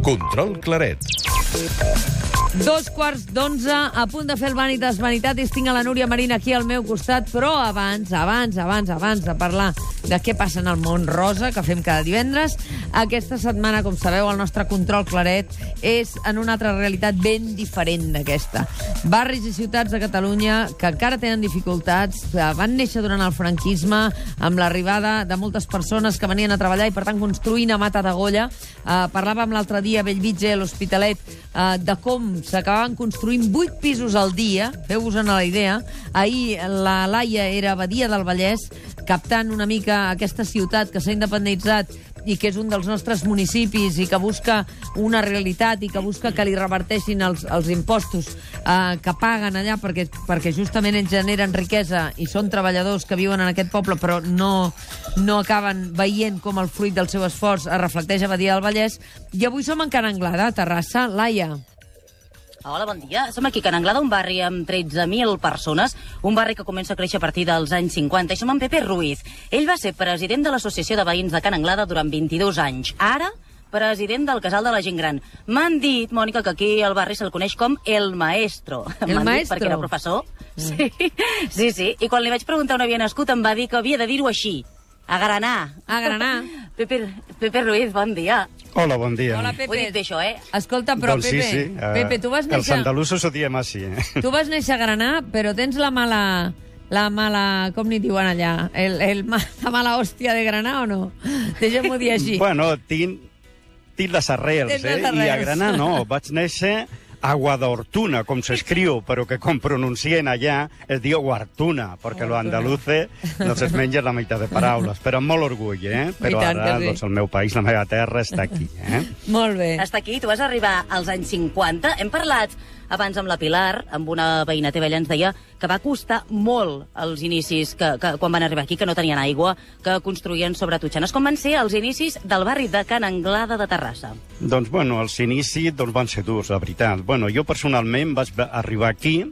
Control Claret. 2:15, a punt de fer el Vanitas Vanitatis. Tinc a la Núria Marín aquí al meu costat, però abans de parlar de què passa en el món rosa, que fem cada divendres, aquesta setmana, com sabeu, el nostre Control Claret és en una altra realitat ben diferent d'aquesta. Barris i ciutats de Catalunya que encara tenen dificultats, van néixer durant el franquisme, amb l'arribada de moltes persones que venien a treballar i, per tant, construint a mata d'agolla. Parlàvem l'altre dia a Bellvitge, a l'Hospitalet, de com s'acabaven construint 8 pisos al dia, feu-vos-en la idea. Ahir la Laia era a Badia del Vallès, captant una mica aquesta ciutat que s'ha independitzat i que és un dels nostres municipis i que busca una realitat i que busca que li reverteixin els impostos que paguen allà perquè justament ells generen riquesa i són treballadors que viuen en aquest poble però no acaben veient com el fruit del seu esforç es reflecteix a Badia del Vallès. I avui som en Can Anglada, a Terrassa. Laia. Hola, bon dia. Som aquí a Can Anglada, un barri amb 13.000 persones, un barri que comença a créixer a partir dels anys 50, i som amb Pepe Ruiz. Ell va ser president de l'Associació de Veïns de Can Anglada durant 22 anys. Ara, president del Casal de la Gent Gran. M'han dit, Mònica, que aquí al barri se'l coneix com El Maestro. El Maestro? Perquè era professor. Sí. I quan li vaig preguntar on havia nascut em va dir que havia de dir-ho així. A Granà. A Granà. Pepe Ruiz, bon dia. Hola, bon dia. Hola, Pepe. Ho he dit bé, això, eh? Escolta, però, doncs Pepe, sí. Pepe, tu vas néixer... Els andalusos ho diem així, Tu vas néixer a Granà, però tens la mala, com n'hi diuen allà? La mala hòstia de Granà o no? Deixem-ho dir així. Bueno, tinc les arrels, I a Granà no, vaig néixer a Guadortuna, com s'escriu, però que com pronuncien allà es diu Guartuna, perquè los andaluces no es mengen la meitat de paraules, però amb molt orgull, Però ara, doncs, el meu país, la meva terra, està aquí, Molt bé. Està aquí, tu vas arribar als anys 50. Hem parlat abans amb la Pilar, amb una veïna teva, ella ens deia que va costar molt els inicis que quan van arribar aquí, que no tenien aigua, que construïen sobre totxanes. Com van ser els inicis del barri de Can Anglada de Terrassa? Doncs, els inicis van ser durs, la veritat. Jo personalment vaig arribar aquí,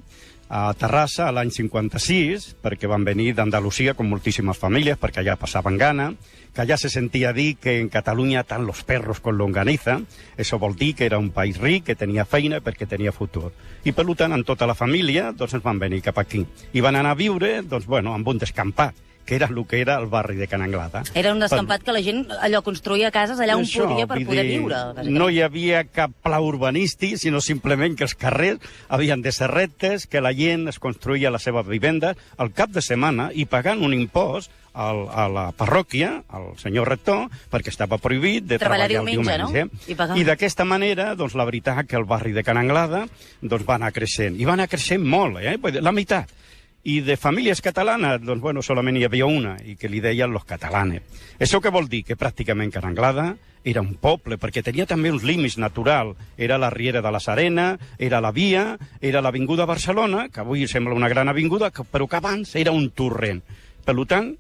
a Terrassa, a l'any 56, perquè van venir d'Andalusia com moltíssimes famílies, perquè allà passaven gana, que allà se sentia dir que en Catalunya tant los perros con longaniza. Això vol dir que era un país ric, que tenia feina perquè tenia futur. I per tant, amb tota la família, doncs ens van venir cap aquí. I van anar a viure, amb un descampat, que era el que era el barri de Can Anglada. Era un descampat que la gent allò construïa cases allà on podia per poder viure. No hi havia cap pla urbanístic, sinó simplement que els carrers havien de ser rectes, que la gent es construïa la seva vivenda al cap de setmana i pagant un impost a la parròquia, al senyor rector, perquè estava prohibit de treballar el diumenge. No? I d'aquesta manera, la veritat que el barri de Can Anglada va anar creixent. I va anar creixent molt, la meitat. I de famílies catalanes, solament hi havia una, i que li deien los catalanes. Això què vol dir? Que pràcticament Can Anglada era un poble, perquè tenia també uns límits naturals. Era la Riera de la Serena, era la Via, era l'Avinguda Barcelona, que avui sembla una gran avinguda, però que abans era un torrent. Per tant,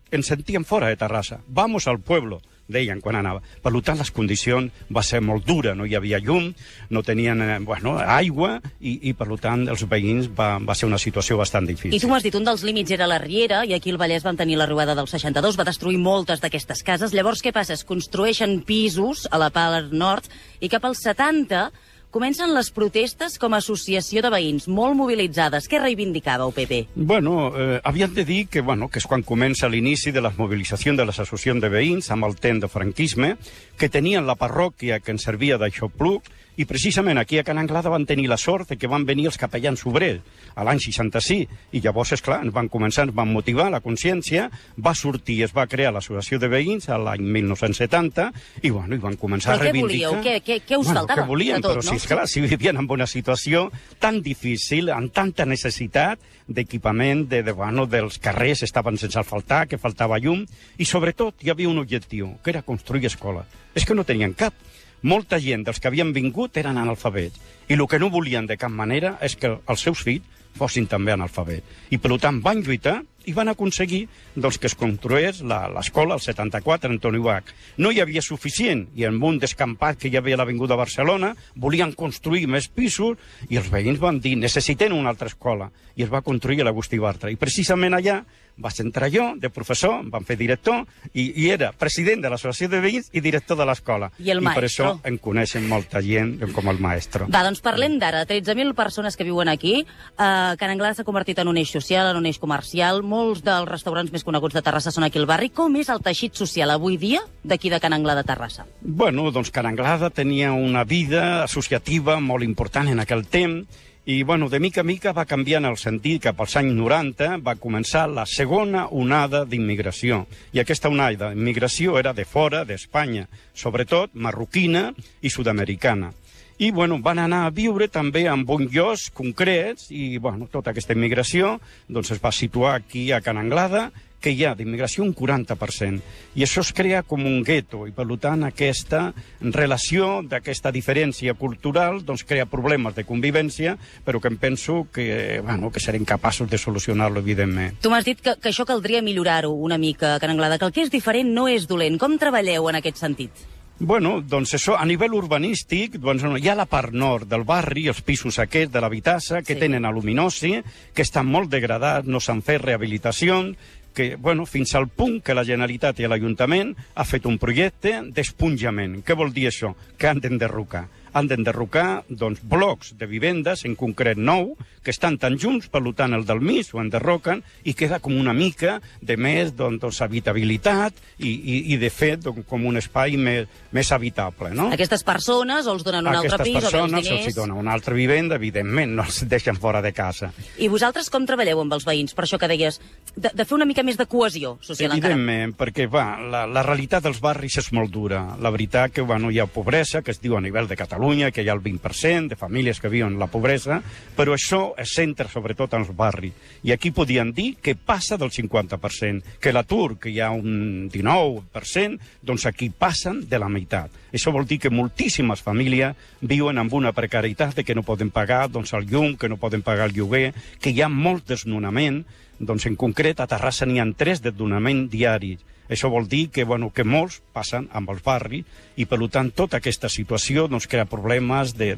ens sentíem fora de Terrassa. Vamos al pueblo, deien quan anava. Per tant, les condicions va ser molt dura. No hi havia llum, no tenien aigua i per tant, els veïns va ser una situació bastant difícil. I tu m'has dit, un dels límits era la Riera, i aquí al Vallès van tenir la riuada del 62, va destruir moltes d'aquestes cases. Llavors, què passa? Es construeixen pisos a la part nord i cap als 70 comencen les protestes com a associació de veïns, molt mobilitzades. Què reivindicàveu, Pepe? Havíem de dir que és quan comença l'inici de les mobilitzacions de les associacions de veïns amb el temps de franquisme, que tenien la parròquia que ens servia d'aixopluc, i precisament aquí a Can Anglada van tenir la sort de que van venir els capellans obrers a l'any 66, i llavors, esclar, ens van començar, ens van motivar la consciència, va sortir, es va crear l'associació de veïns a l'any 1970, i van començar a reivindicar... Però què volíeu? Què us faltava? Què volíem, tot, però no? esclar, si vivien en una situació tan difícil, amb tanta necessitat d'equipament, dels carrers estaven sense asfaltar, que faltava llum, i sobretot hi havia un objectiu, que era construir escola. És que no tenien cap. Molta gent dels que havien vingut eren analfabets, i el que no volien de cap manera és que els seus fills fossin també analfabets. I per tant van lluitar i van aconseguir que es construís l'escola al 74, Antoni Bach. No hi havia suficient, i en un descampat que hi havia a l'Avinguda Barcelona volien construir més pisos, i els veïns van dir necessitem una altra escola, i es va construir a l'Agustí Bartra. I precisament allà vaig entrar jo, de professor, em van fer director, i era president de l'associació de veïns i director de l'escola. I el per maestro. això em coneixen molta gent com el maestro. Va, doncs parlem d'ara. 13.000 persones que viuen aquí. Can Anglada s'ha convertit en un eix social, en un eix comercial. Molts dels restaurants més coneguts de Terrassa són aquí al barri. Com és el teixit social avui dia d'aquí de Can Anglada, Terrassa? Bueno, doncs Can Anglada tenia una vida associativa molt important en aquell temps i, bueno, de mica a mica va canviant el sentit. Cap als anys 90 va començar la segona onada d'immigració. I aquesta onada d'immigració era de fora d'Espanya, sobretot marroquina i sud-americana. I, bueno, van anar a viure també en bons llocs concrets i, bueno, tota aquesta immigració doncs, es va situar aquí a Can Anglada, que hi ha d'immigració un 40%. I això es crea com un gueto, i per tant aquesta relació d'aquesta diferència cultural doncs, crea problemes de convivència, però que em penso que, bueno, que serem capaços de solucionar-lo, evidentment. Tu m'has dit que això caldria millorar-ho una mica, Can Anglada, que el que és diferent no és dolent. Com treballeu en aquest sentit? Bueno, doncs això, a nivell urbanístic, doncs, hi ha la part nord del barri, els pisos aquests de l'Habitassa, que tenen aluminosi, que estan molt degradats, no s'han fet rehabilitacions, que, bueno, fins al punt que la Generalitat i l'Ajuntament ha fet un projecte d'esponjament. Què vol dir això? Que han d'enderrocar. Han d'enderrocar, doncs, blocs de vivendes, en concret 9, que estan tan junts, per tant, el del mig ho enderroquen i queda com una mica de més doncs, habitabilitat i de fet, doncs, com un espai més habitable, no? Aquestes persones o els donen un altre pis o bé els diners? Aquestes persones els donen una altra vivenda, evidentment, no els deixen fora de casa. I vosaltres com treballeu amb els veïns? Per això que deies, de fer una mica més de cohesió social encara. Evidentment, perquè la realitat dels barris és molt dura. La veritat que bueno, hi ha pobresa, que es diu a nivell de Catalunya, que hi ha el 20% de famílies que viuen la pobresa, però això es centra sobretot en els barris. I aquí podien dir que passa del 50%, que l'atur, que hi ha un 19%, doncs aquí passen de la meitat. Això vol dir que moltíssimes famílies viuen amb una precarietat de que no poden pagar doncs, el llum, que no poden pagar el lloguer, que hi ha molt desnonament. Doncs en concret a Terrassa n'hi ha 3 desnonaments diaris. Això vol dir que, bueno, que molts passen amb els barris i, per tant, tota aquesta situació doncs, crea problemes de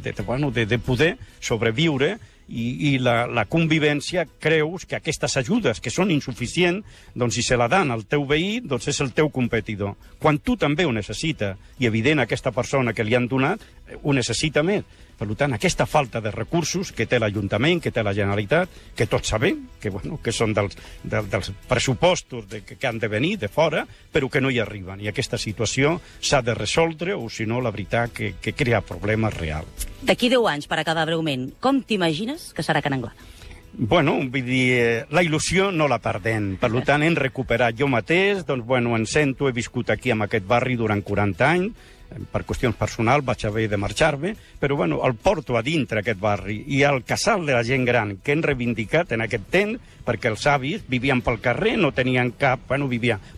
poder sobreviure i la convivència creus que aquestes ajudes que són insuficients, doncs si se la dan al teu veí, doncs és el teu competidor. Quan tu també ho necessites, i evident aquesta persona que li han donat ho necessita més. Per tant, aquesta falta de recursos que té l'Ajuntament, que té la Generalitat, que tots sabem, que, bueno, que són dels pressupostos que han de venir de fora, però que no hi arriben. I aquesta situació s'ha de resoldre, o si no, la veritat, que crea problemes reals. D'aquí 10 anys, per acabar breument, com t'imagines que serà Can Anglada? Bueno, vull dir, la il·lusió no la perdem. Per tant, hem recuperat jo mateix, doncs, bueno, em sento, he viscut aquí en aquest barri durant 40 anys, per qüestions personals vaig haver de marxar-me, però bueno, el porto a dintre aquest barri i el casal de la gent gran que hem reivindicat en aquest temps, perquè els avis vivien pel carrer, no tenien cap, bueno,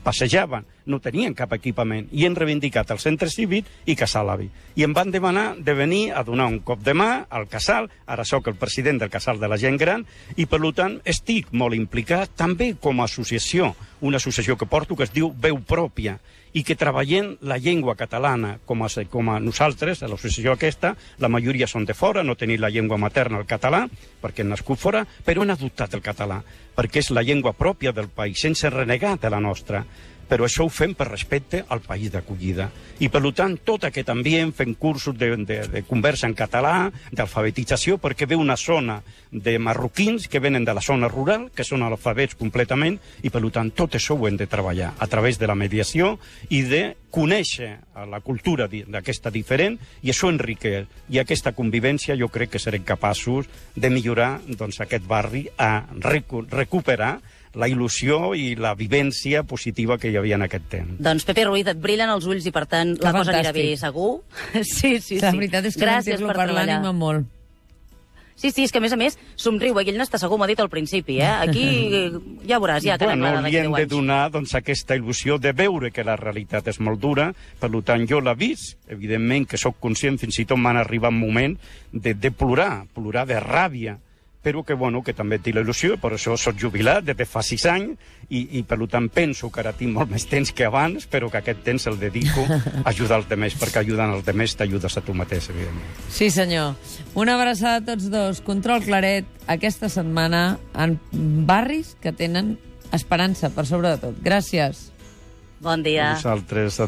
passejaven, no tenien cap equipament, i hem reivindicat el centre cívic i casal avi. I em van demanar de venir a donar un cop de mà al casal, ara sóc el president del casal de la gent gran, i per tant estic molt implicat també com a associació, una associació que porto que es diu Veu Pròpia, i que treballem la llengua catalana com a nosaltres, a l'associació aquesta, la majoria són de fora, no tenim la llengua materna, el català, perquè han nascut fora, però han adoptat el català, perquè és la llengua pròpia del país, sense renegar de la nostra. Però això ho fem per respecte al país d'acollida. I, per tant, tot aquest ambient, fent cursos de conversa en català, d'alfabetització, perquè ve una zona de marroquins que venen de la zona rural, que són analfabets completament, i, per tant, tot això ho hem de treballar a través de la mediació i de conèixer la cultura d'aquesta diferent, i això enriqueix. I aquesta convivència jo crec que serem capaços de millorar doncs, aquest barri, a recuperar la il·lusió i la vivència positiva que hi havia en aquest temps. Doncs, Pepe Ruiz, et brillen els ulls i, per tant, la cosa anirà bé, segur. Sí. La veritat és que gràcies per parlar l'ànima molt. Sí, és que a més somriu, ell n'està segur, m'ha dit al principi, eh? Aquí ja veuràs, ja, Can Anglada d'aquí 10 anys. Li hem de donar doncs, aquesta il·lusió de veure que la realitat és molt dura, per tant jo l'he vist, evidentment que sóc conscient, fins i tot m'han arribat moments de plorar de ràbia, però que, bueno, que també tinc la il·lusió, per això soc jubilat des de fa 6 anys i per tant penso que ara tinc molt més temps que abans, però que aquest temps el dedico a ajudar els demés, perquè ajudant els demés t'ajudes a tu mateix, evidentment. Sí, senyor. Una abraçada a tots dos. Control Claret, aquesta setmana en barris que tenen Esperança, per sobre de tot. Gràcies. Bon dia. Vosaltres,